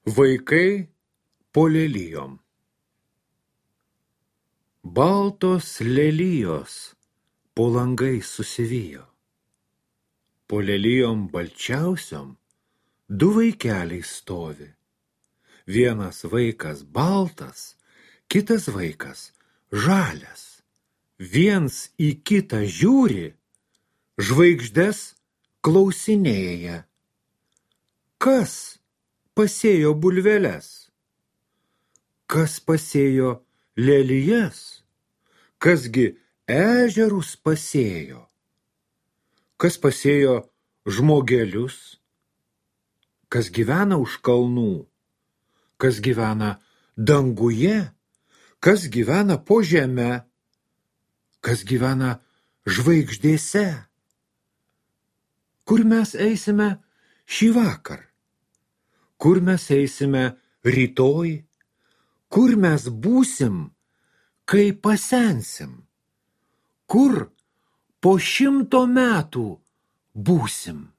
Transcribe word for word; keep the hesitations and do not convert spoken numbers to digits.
Vaikai po lelijom. Baltos lelijos po langais susivijo. Po lelijom balčiausiom du vaikeliai stovi. Vienas vaikas baltas, kitas vaikas žalias. Viens į kitą žiūri, žvaigždes klausinėja. Kas pasėjo bulveles? Kas pasėjo lelijas? Kasgi ežerus pasėjo? Kas pasėjo žmogelius? Kas gyvena už kalnų? Kas gyvena danguje? Kas gyvena po žeme? Kas gyvena žvaigždėse? Kur mes eisime šį vakar? Kur mes eisime rytoj? Kur mes būsim, kai pasensim? Kur po šimto metų būsim?